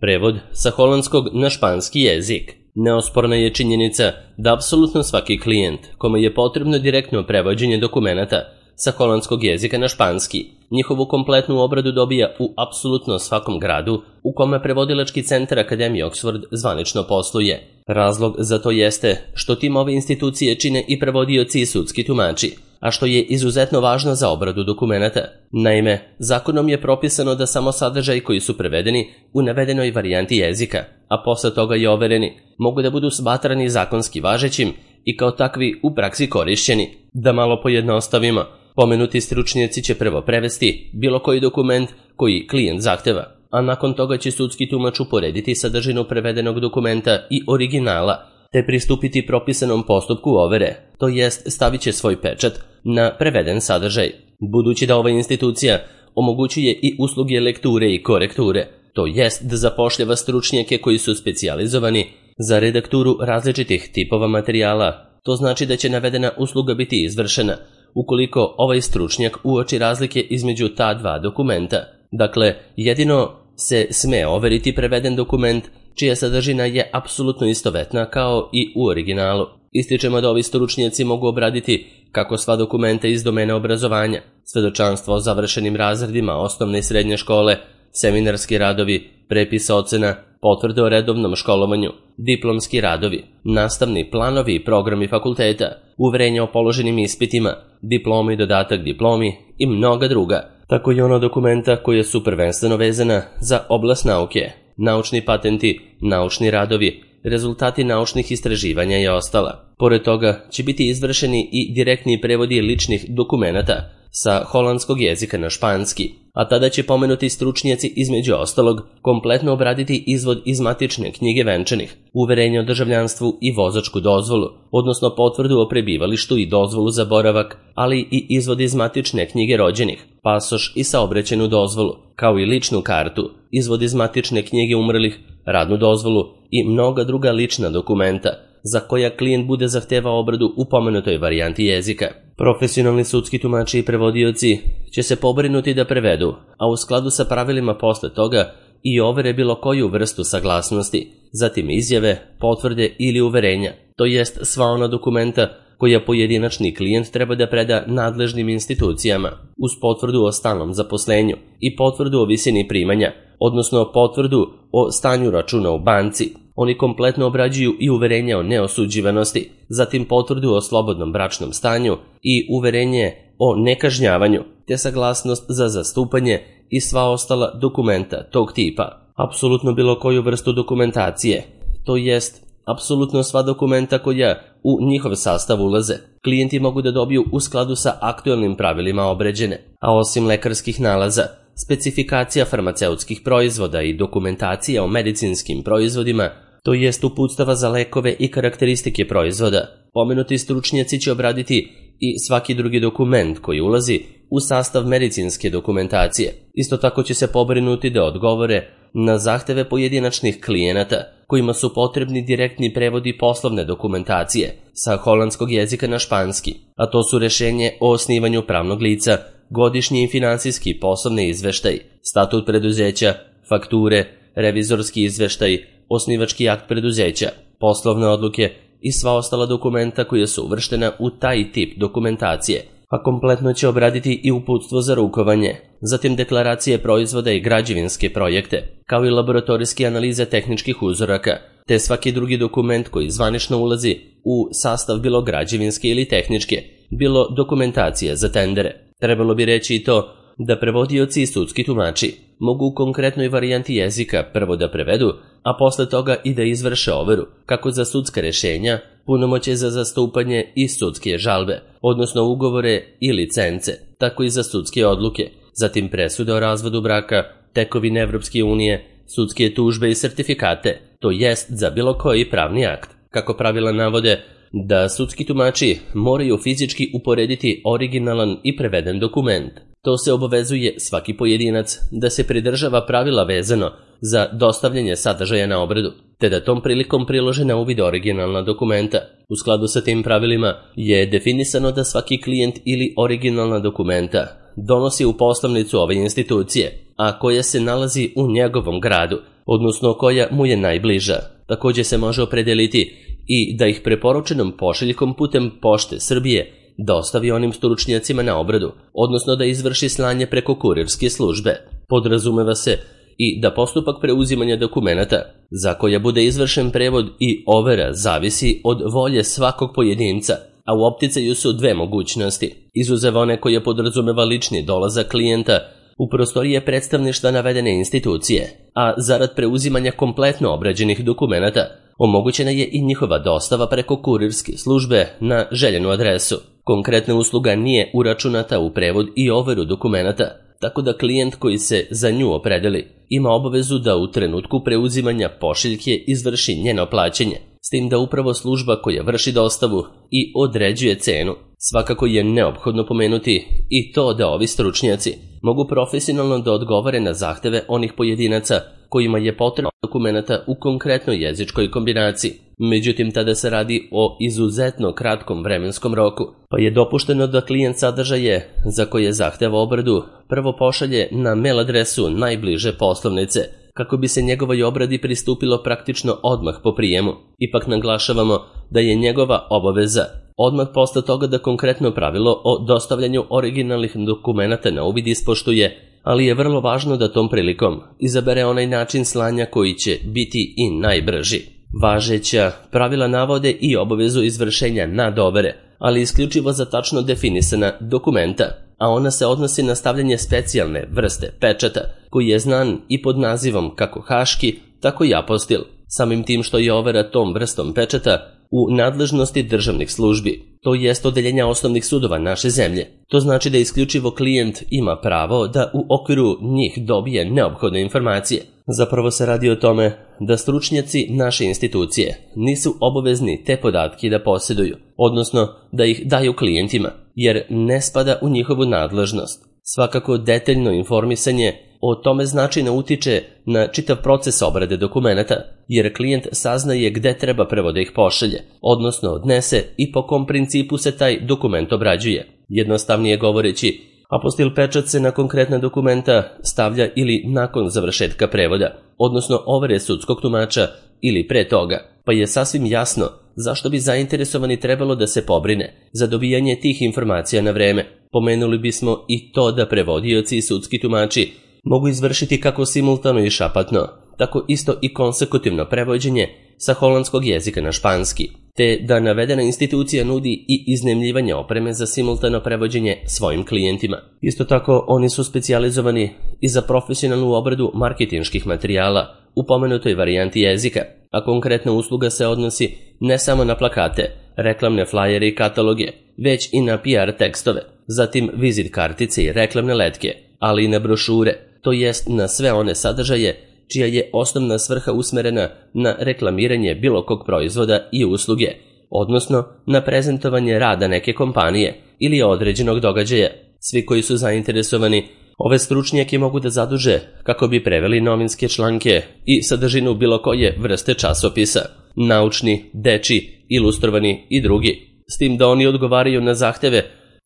Prevod sa holandskog na španski jezik. Neosporna je činjenica da apsolutno svaki klijent kome je potrebno direktno prevođenje dokumenata sa holandskog jezika na španski, njihovu kompletnu obradu dobija u apsolutno svakom gradu u kome prevodilački centar Akademije Oxford zvanično posluje. Razlog za to jeste što tim ove institucije čine i prevodioci i sudski tumači, a što je izuzetno važno za obradu dokumenata. Naime, zakonom je propisano da samo sadržaj koji su prevedeni u navedenoj varijanti jezika, a posle toga i overeni, mogu da budu smatrani zakonski važećim i kao takvi u praksi korišćeni. Da malo pojednostavimo, pomenuti stručnjaci će prvo prevesti bilo koji dokument koji klijent zahteva, a nakon toga će sudski tumač uporediti sadržinu prevedenog dokumenta i originala, te pristupiti propisanom postupku overe, to jest stavit će svoj pečat na preveden sadržaj. Budući da ova institucija omogućuje i usluge lekture i korekture, to jest da zapošljava stručnjake koji su specijalizovani za redakturu različitih tipova materijala, to znači da će navedena usluga biti izvršena ukoliko ovaj stručnjak uoči razlike između ta dva dokumenta. Dakle, jedino se sme overiti preveden dokument čija sadržina je apsolutno istovetna kao i u originalu. Ističemo da ovi stručnjaci mogu obraditi kako sva dokumenta iz domena obrazovanja, svedočanstvo o završenim razredima osnovne i srednje škole, seminarski radovi, prepis ocena, potvrde o redovnom školovanju, diplomski radovi, nastavni planovi i programi fakulteta, uverenja o položenim ispitima, diplomi i dodatak diplomi i mnoga druga. Tako i ono dokumenta koje su prvenstveno vezana za oblast nauke, naučni patenti, naučni radovi, rezultati naučnih istraživanja i ostala. Pored toga će biti izvršeni i direktni prevodi ličnih dokumenata sa holandskog jezika na španski, a tada će pomenuti stručnjaci između ostalog kompletno obraditi izvod iz matične knjige venčanih, uverenje o državljanstvu i vozačku dozvolu, odnosno potvrdu o prebivalištu i dozvolu za boravak, ali i izvod iz matične knjige rođenih, pasoš i saobraćajnu dozvolu, kao i ličnu kartu, izvod iz matične knjige umrlih, radnu dozvolu i mnoga druga lična dokumenta za koja klijent bude zahtevao obradu u pomenutoj varijanti jezika. Profesionalni sudski tumači i prevodioci će se pobrinuti da prevedu, a u skladu sa pravilima posle toga i overe bilo koju vrstu saglasnosti, zatim izjave, potvrde ili uverenja, to jest sva ona dokumenta koja pojedinačni klijent treba da preda nadležnim institucijama, uz potvrdu o stalnom zaposlenju i potvrdu o visini primanja, odnosno potvrdu o stanju računa u banci. Oni kompletno obrađuju i uverenja o neosuđivanosti, zatim potvrdu o slobodnom bračnom stanju i uverenje o nekažnjavanju, te saglasnost za zastupanje i sva ostala dokumenta tog tipa. Apsolutno bilo koju vrstu dokumentacije, to jest apsolutno sva dokumenta koja u njihov sastav ulaze, klijenti mogu da dobiju u skladu sa aktuelnim pravilima obređene, a osim lekarskih nalaza, specifikacija farmaceutskih proizvoda i dokumentacija o medicinskim proizvodima, to jest uputstava za lekove i karakteristike proizvoda. Pomenuti stručnjaci će obraditi i svaki drugi dokument koji ulazi u sastav medicinske dokumentacije. Isto tako će se pobrinuti da odgovore na zahteve pojedinačnih klijenata kojima su potrebni direktni prevodi poslovne dokumentacije sa holandskog jezika na španski, a to su rešenje o osnivanju pravnog lica, godišnji i finansijski poslovni izveštaj, statut preduzeća, fakture, revizorski izveštaj, osnivački akt preduzeća, poslovne odluke i sva ostala dokumenta koja su uvrštena u taj tip dokumentacije, a kompletno će obraditi i uputstvo za rukovanje, zatim deklaracije proizvoda i građevinske projekte, kao i laboratorijske analize tehničkih uzoraka, te svaki drugi dokument koji zvanično ulazi u sastav bilo građevinske ili tehničke, bilo dokumentacije za tendere. Trebalo bi reći i to da prevodioci i sudski tumači mogu u konkretnoj varijanti jezika prvo da prevedu, a posle toga i da izvrše overu, kako za sudska rešenja, punomoćje za zastupanje i sudske žalbe, odnosno ugovore i licence, tako i za sudske odluke, zatim presude o razvodu braka, tekovine Evropske unije, sudske tužbe i sertifikate, to jest za bilo koji pravni akt. Kako pravila navode da sudski tumači moraju fizički uporediti originalan i preveden dokument. To se obavezuje svaki pojedinac da se pridržava pravila vezano za dostavljanje sadržaja na obradu, te da tom prilikom prilože na uvid originalna dokumenta. U skladu sa tim pravilima je definisano da svaki klijent ili originalna dokumenta donosi u poslovnicu ove institucije, a koja se nalazi u njegovom gradu, odnosno koja mu je najbliža. Također se može opredeliti i da ih preporučenom pošiljkom putem Pošte Srbije dostavi onim stručnjacima na obradu, odnosno da izvrši slanje preko kurirske službe. Podrazumeva se i da postupak preuzimanja dokumenata za koja bude izvršen prevod i overa zavisi od volje svakog pojedinca, a u opticaju su dve mogućnosti, izuzev one koje podrazumeva lični dolazak klijenta u prostorije predstavništva navedene institucije, a zarad preuzimanja kompletno obrađenih dokumenata omogućena je i njihova dostava preko kurirske službe na željenu adresu. Konkretna usluga nije uračunata u prevod i overu dokumenata, tako da klijent koji se za nju opredeli ima obavezu da u trenutku preuzimanja pošiljke izvrši njeno plaćanje, s tim da upravo služba koja vrši dostavu i određuje cenu. Svakako je neophodno pomenuti i to da ovi stručnjaci mogu profesionalno da odgovore na zahteve onih pojedinaca kojima je potrebno dokumenata u konkretnoj jezičkoj kombinaciji. Međutim, tada se radi o izuzetno kratkom vremenskom roku, pa je dopušteno da klijent sadržaje za koje zahteva obradu prvo pošalje na mail adresu najbliže poslovnice, kako bi se njegovoj obradi pristupilo praktično odmah po prijemu. Ipak naglašavamo da je njegova obaveza odmah posle toga da konkretno pravilo o dostavljanju originalnih dokumenata na uvid ispoštuje, ali je vrlo važno da tom prilikom izabere onaj način slanja koji će biti i najbrži. Važeća pravila navode i obavezu izvršenja nadovere, ali isključivo za tačno definisana dokumenta, a ona se odnosi na stavljanje specijalne vrste pečata, koji je znan i pod nazivom kako haški, tako i apostil, samim tim što je overa tom vrstom pečata u nadležnosti državnih službi, to jest odeljenja osnovnih sudova naše zemlje. To znači da isključivo klijent ima pravo da u okviru njih dobije neophodne informacije. Zapravo se radi o tome da stručnjaci naše institucije nisu obavezni te podatke da posjeduju, odnosno da ih daju klijentima, jer ne spada u njihovu nadležnost. Svakako detaljno informisanje o tome značajno utiče na čitav proces obrade dokumenata, jer klijent saznaje gde treba prvo da ih pošalje, odnosno odnese i po kom principu se taj dokument obrađuje. Jednostavnije govoreći, apostil pečat se na konkretna dokumenta stavlja ili nakon završetka prevoda, odnosno overe sudskog tumača ili pre toga, pa je sasvim jasno zašto bi zainteresovani trebalo da se pobrine za dobijanje tih informacija na vreme. Pomenuli bismo i to da prevodioci i sudski tumači mogu izvršiti kako simultano i šapatno, tako isto i konsekutivno prevođenje sa holandskog jezika na španski, te da navedena institucija nudi i iznajmljivanje opreme za simultano prevođenje svojim klijentima. Isto tako, oni su specijalizovani i za profesionalnu obradu marketinških materijala u pomenutoj varijanti jezika, a konkretna usluga se odnosi ne samo na plakate, reklamne flajere i kataloge, već i na PR tekstove, zatim vizit kartice i reklamne letke, ali i na brošure, to jest na sve one sadržaje čija je osnovna svrha usmerena na reklamiranje bilo kog proizvoda i usluge, odnosno na prezentovanje rada neke kompanije ili određenog događaja. Svi koji su zainteresovani ove stručnjake mogu da zaduže kako bi preveli novinske članke i sadržinu bilo koje vrste časopisa, naučni, dečji, ilustrovani i drugi, s tim da oni odgovaraju na zahteve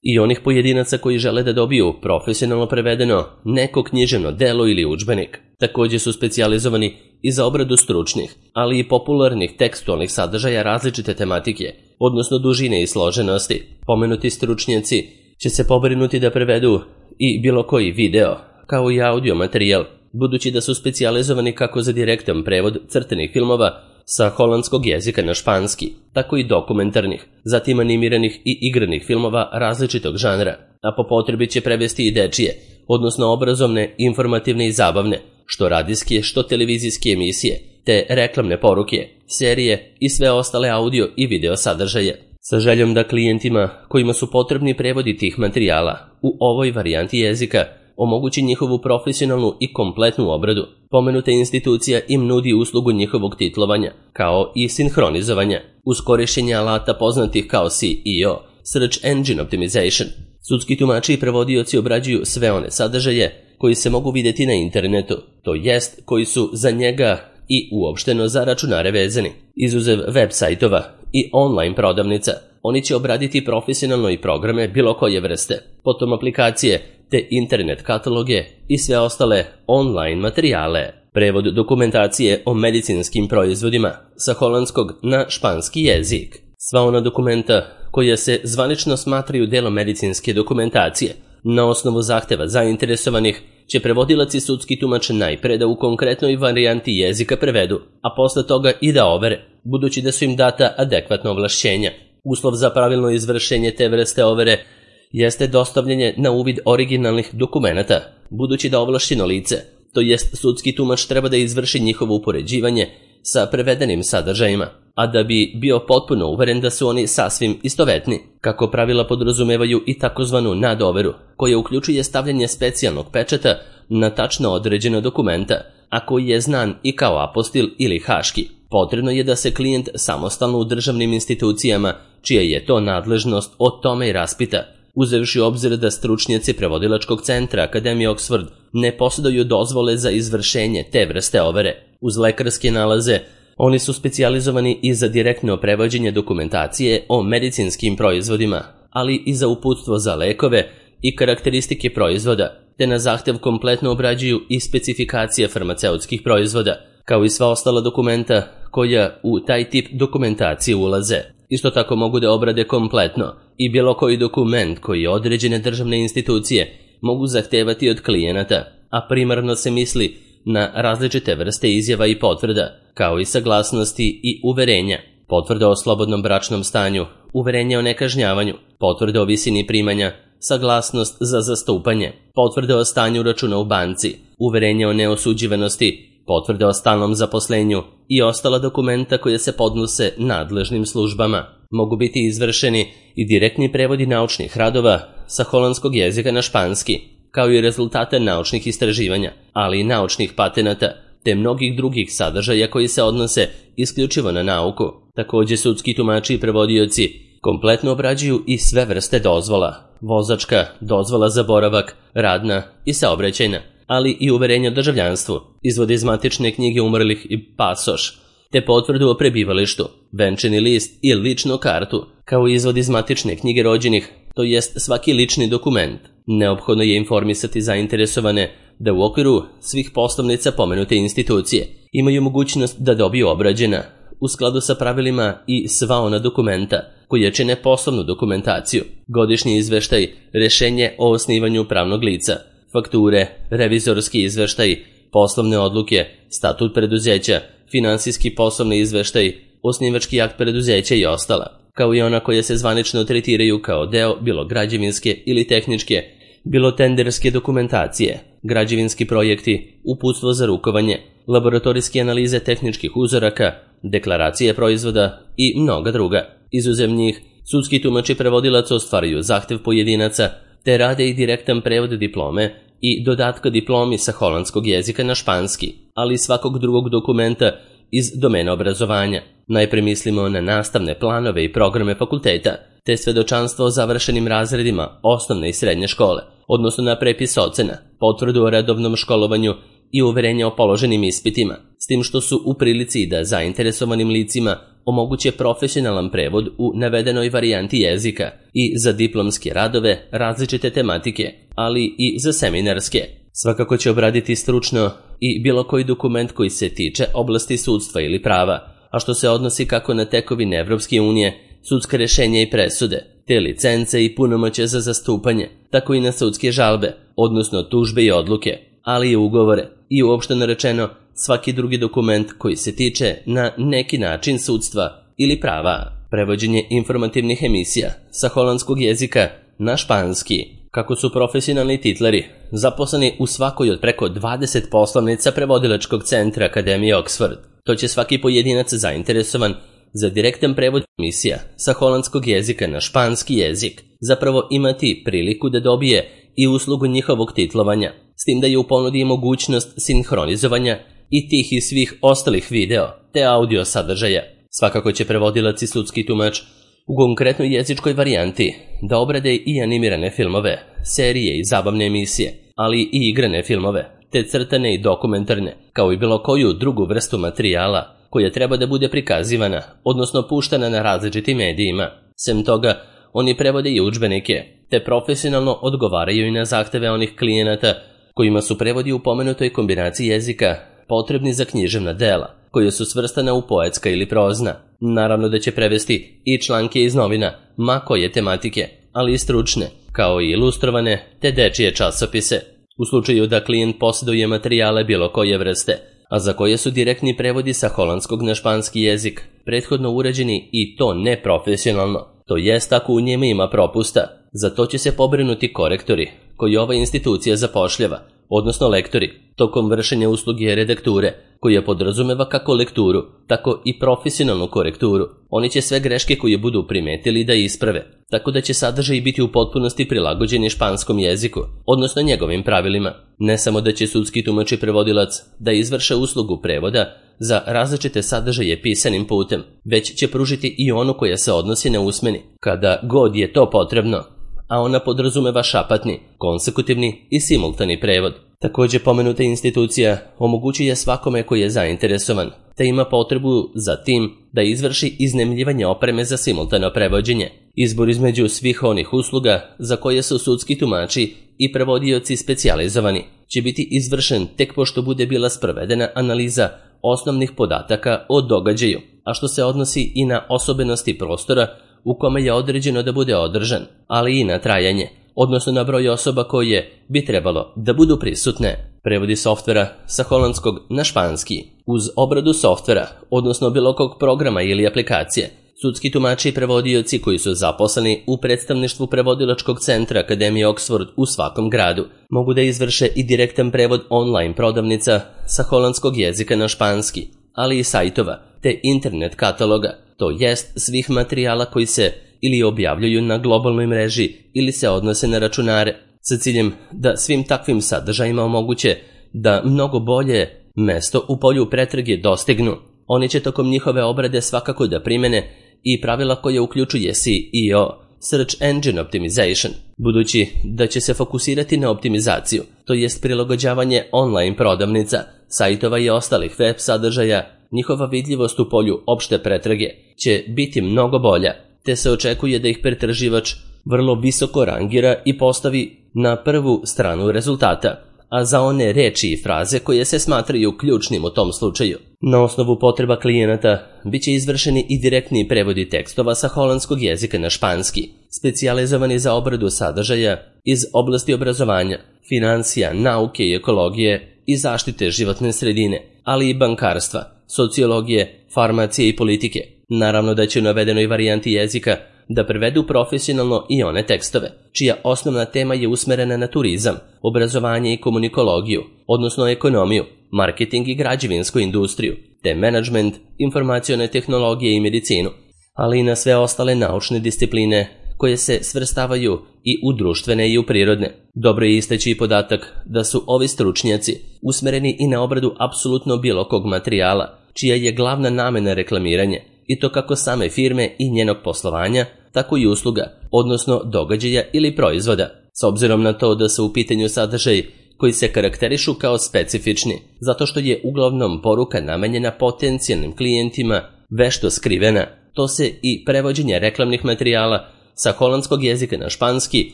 i onih pojedinaca koji žele da dobiju profesionalno prevedeno neko književno delo ili udžbenik. Također su specijalizovani i za obradu stručnih, ali i popularnih tekstualnih sadržaja različite tematike, odnosno dužine i složenosti. Pomenuti stručnjaci će se pobrinuti da prevedu i bilo koji video, kao i audio materijal, budući da su specijalizovani kako za direktan prevod crtenih filmova sa holandskog jezika na španski, tako i dokumentarnih, zatim animiranih i igranih filmova različitog žanra, a po potrebi će prevesti i dečije, odnosno obrazovne, informativne i zabavne, što radijske, što televizijske emisije, te reklamne poruke, serije i sve ostale audio i video sadržaje, sa željom da klijentima kojima su potrebni prevodi tih materijala u ovoj varijanti jezika omogući njihovu profesionalnu i kompletnu obradu. Pomenuta institucija im nudi uslugu njihovog titlovanja, kao i sinhronizovanja, uz korišćenje alata poznatih kao SEO, Search Engine Optimization. Sudski tumači i prevodioci obrađuju sve one sadržaje koji se mogu vidjeti na internetu, to jest koji su za njega i uopšteno za računare vezani. Izuzev web sajtova i online prodavnica, oni će obraditi profesionalno i programe bilo koje vrste, potom aplikacije te internet kataloge i sve ostale online materijale. Prevod dokumentacije o medicinskim proizvodima sa holandskog na španski jezik. Sva ona dokumenta koja se zvanično smatraju delom medicinske dokumentacije na osnovu zahteva zainteresovanih će prevodilac i sudski tumač najpre da u konkretnoj varijanti jezika prevedu, a posle toga i da overe, budući da su im data adekvatna ovlašćenja. Uslov za pravilno izvršenje te vrste overe jeste dostavljanje na uvid originalnih dokumenata, budući da ovlašćeno lice, to jest sudski tumač, treba da izvrši njihovo upoređivanje sa prevedenim sadržajima, a da bi bio potpuno uveren da su oni sasvim istovetni, kako pravila podrazumevaju i takozvanu nadoveru, koja uključuje stavljanje specijalnog pečata na tačno određena dokumenta, a koji je znan i kao apostil ili haški. Potrebno je da se klijent samostalno u državnim institucijama, čija je to nadležnost, o tome i raspita, uzevši u obzir da stručnjaci prevodilačkog centra Akademije Oxford ne posjeduju dozvole za izvršenje te vrste overe. Uz lekarske nalaze, oni su specijalizovani i za direktno prevođenje dokumentacije o medicinskim proizvodima, ali i za uputstvo za lekove i karakteristike proizvoda, te na zahtev kompletno obrađuju i specifikacije farmaceutskih proizvoda, kao i sva ostala dokumenta koja u taj tip dokumentacije ulaze. Isto tako mogu da obrade kompletno i bilo koji dokument koji određene državne institucije mogu zahtevati od klijenata, a primarno se misli na različite vrste izjava i potvrda, kao i saglasnosti i uverenja, potvrda o slobodnom bračnom stanju, uverenje o nekažnjavanju, potvrda o visini primanja, saglasnost za zastupanje, potvrda o stanju računa u banci, uverenje o neosuđivanosti, potvrde o stalnom zaposlenju i ostala dokumenta koje se podnose nadležnim službama. Mogu biti izvršeni i direktni prevodi naučnih radova sa holandskog jezika na španski, kao i rezultate naučnih istraživanja, ali i naučnih patenata, te mnogih drugih sadržaja koji se odnose isključivo na nauku. Također sudski tumači i prevodioci kompletno obrađuju i sve vrste dozvola, vozačka, dozvola za boravak, radna i saobraćajna, ali i uverenje o državljanstvu, izvode iz matične knjige umrlih i pasoš, te potvrdu o prebivalištu, venčani list i ličnu kartu, kao i izvod iz matične knjige rođenih, to jest svaki lični dokument. Neophodno je informisati zainteresovane da u okviru svih poslovnica pomenute institucije imaju mogućnost da dobiju obrađena, u skladu sa pravilima, i sva ona dokumenta koja čine poslovnu dokumentaciju, godišnji izveštaj, rešenje o osnivanju pravnog lica, fakture, revizorski izveštaj, poslovne odluke, statut preduzeća, finansijski poslovni izveštaj, osnivački akt preduzeća i ostala, kao i ona koja se zvanično tretiraju kao deo bilo građevinske ili tehničke, bilo tenderske dokumentacije, građevinski projekti, uputstvo za rukovanje, laboratorijske analize tehničkih uzoraka, deklaracije proizvoda i mnoga druga. Izuzev njih, sudski tumač i prevodilac ostvaruju zahtev pojedinaca, te rade i direktan prevod diplome i dodatka diplomi sa holandskog jezika na španski, ali i svakog drugog dokumenta iz domena obrazovanja. Najpre mislimo na nastavne planove i programe fakulteta, te svedočanstvo o završenim razredima osnovne i srednje škole, odnosno na prepis ocena, potvrdu o redovnom školovanju i uverenje o položenim ispitima, s tim što su u prilici da zainteresovanim licima omoguće profesionalan prevod u navedenoj varijanti jezika i za diplomske radove različite tematike, ali i za seminarske. Svakako će obraditi stručno i bilo koji dokument koji se tiče oblasti sudstva ili prava, a što se odnosi kako na tekovine Evropske unije, sudska rešenja i presude, te licence i punomoćje za zastupanje, tako i na sudske žalbe, odnosno tužbe i odluke, ali i ugovore i uopšteno rečeno svaki drugi dokument koji se tiče na neki način sudstva ili prava. Prevođenje informativnih emisija sa holandskog jezika na španski. Kako su profesionalni titleri zaposleni u svakoj od preko 20 poslovnica prevodilačkog centra Akademije Oxford, to će svaki pojedinac zainteresovan za direktan prevod emisija sa holandskog jezika na španski jezik zapravo imati priliku da dobije i uslugu njihovog titlovanja, s tim da je u ponudi mogućnost sinhronizovanja i tih i svih ostalih video te audio sadržaja. Svakako će prevodilac i sudski tumač u konkretnoj jezičkoj varijanti da obrade i animirane filmove, serije i zabavne emisije, ali i igrane filmove, te crtane i dokumentarne, kao i bilo koju drugu vrstu materijala koja treba da bude prikazivana, odnosno puštana na različitim medijima. Sem toga, oni prevode i udžbenike, te profesionalno odgovaraju i na zahteve onih klijenata kojima su prevodi u pomenutoj kombinaciji jezika potrebni za književna dela, koja su svrstana u poetska ili prozna. Naravno da će prevesti i članke iz novina, ma koje tematike, ali i stručne, kao i ilustrovane te dečije časopise. U slučaju da klijent posjeduje materijale bilo koje vrste, a za koje su direktni prevodi sa holandskog na španski jezik prethodno uređeni i to neprofesionalno, to jest ako u njima ima propusta, za to će se pobrinuti korektori koji ova institucija zapošljava, odnosno lektori, tokom vršenja usluge redakture, koja podrazumeva kako lekturu, tako i profesionalnu korekturu. Oni će sve greške koje budu primetili da isprave, tako da će sadržaj biti u potpunosti prilagođeni španskom jeziku, odnosno njegovim pravilima. Ne samo da će sudski tumač i prevodilac da izvrše uslugu prevoda za različite sadržaje pisanim putem, već će pružiti i onu koja se odnosi na usmeni, kada god je to potrebno, a ona podrazumeva šapatni, konsekutivni i simultani prevod. Također pomenuta institucija omogućuje svakome koji je zainteresovan, te ima potrebu za tim da izvrši iznajmljivanje opreme za simultano prevođenje. Izbor između svih onih usluga za koje su sudski tumači i prevodioci specijalizovani će biti izvršen tek pošto bude bila sprovedena analiza osnovnih podataka o događaju, a što se odnosi i na osobenosti prostora u kome je određeno da bude održan, ali i na trajanje, odnosno na broj osoba koje bi trebalo da budu prisutne. Prevodi softvera sa holandskog na španski. Uz obradu softvera, odnosno bilo kog programa ili aplikacije, sudski tumači i prevodioci koji su zaposleni u predstavništvu prevodilačkog centra Akademije Oxford u svakom gradu mogu da izvrše i direktan prevod online prodavnica sa holandskog jezika na španski, ali i sajtova te internet kataloga, to jest svih materijala koji se ili objavljuju na globalnoj mreži ili se odnose na računare, sa ciljem da svim takvim sadržajima omoguće da mnogo bolje mesto u polju pretrage dostignu. Oni će tokom njihove obrade svakako da primene i pravila koje uključuje SEO, Search Engine Optimization, budući da će se fokusirati na optimizaciju, to jest prilagođavanje online prodavnica, sajtova i ostalih web sadržaja. Njihova vidljivost u polju opšte pretrage će biti mnogo bolja, te se očekuje da ih pretraživač vrlo visoko rangira i postavi na prvu stranu rezultata, a za one reči i fraze koje se smatraju ključnim u tom slučaju. Na osnovu potreba klijenata biće izvršeni i direktni prevodi tekstova sa holandskog jezika na španski, specijalizovani za obradu sadržaja iz oblasti obrazovanja, financija, nauke i ekologije i zaštite životne sredine, ali i bankarstva, sociologije, farmacije i politike. Naravno da će u navedenoj varijanti jezika da prevedu profesionalno i one tekstove, čija osnovna tema je usmerena na turizam, obrazovanje i komunikologiju, odnosno ekonomiju, marketing i građevinsku industriju, te menadžment, informacione tehnologije i medicinu, ali i na sve ostale naučne discipline koje se svrstavaju i u društvene i u prirodne. Dobro je istaći i podatak da su ovi stručnjaci usmereni i na obradu apsolutno bilo kog materijala, čija je glavna namena reklamiranje, i to kako same firme i njenog poslovanja, tako i usluga, odnosno događaja ili proizvoda. S obzirom na to da su u pitanju sadržaj koji se karakterišu kao specifični, zato što je uglavnom poruka namenjena potencijalnim klijentima vešto skrivena, to se i prevođenje reklamnih materijala sa holandskog jezika na španski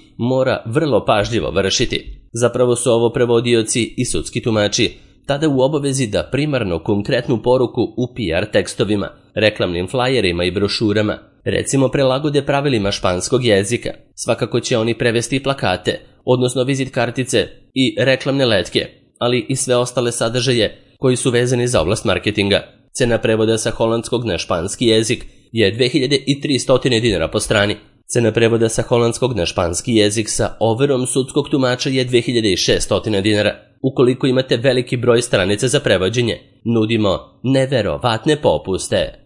mora vrlo pažljivo vršiti. Zapravo su ovo prevodioci i sudski tumači tada u obavezi da primarno konkretnu poruku u PR tekstovima, reklamnim flajerima i brošurama, recimo prilagode pravilima španskog jezika. Svakako će oni prevesti plakate, odnosno vizit kartice i reklamne letke, ali i sve ostale sadržaje koji su vezani za oblast marketinga. Cena prevoda sa holandskog na španski jezik je 2300 dinara po strani. Cena prevoda sa holandskog na španski jezik sa overom sudskog tumača je 2600 dinara. Ukoliko imate veliki broj stranica za prevođenje, nudimo neverovatne popuste.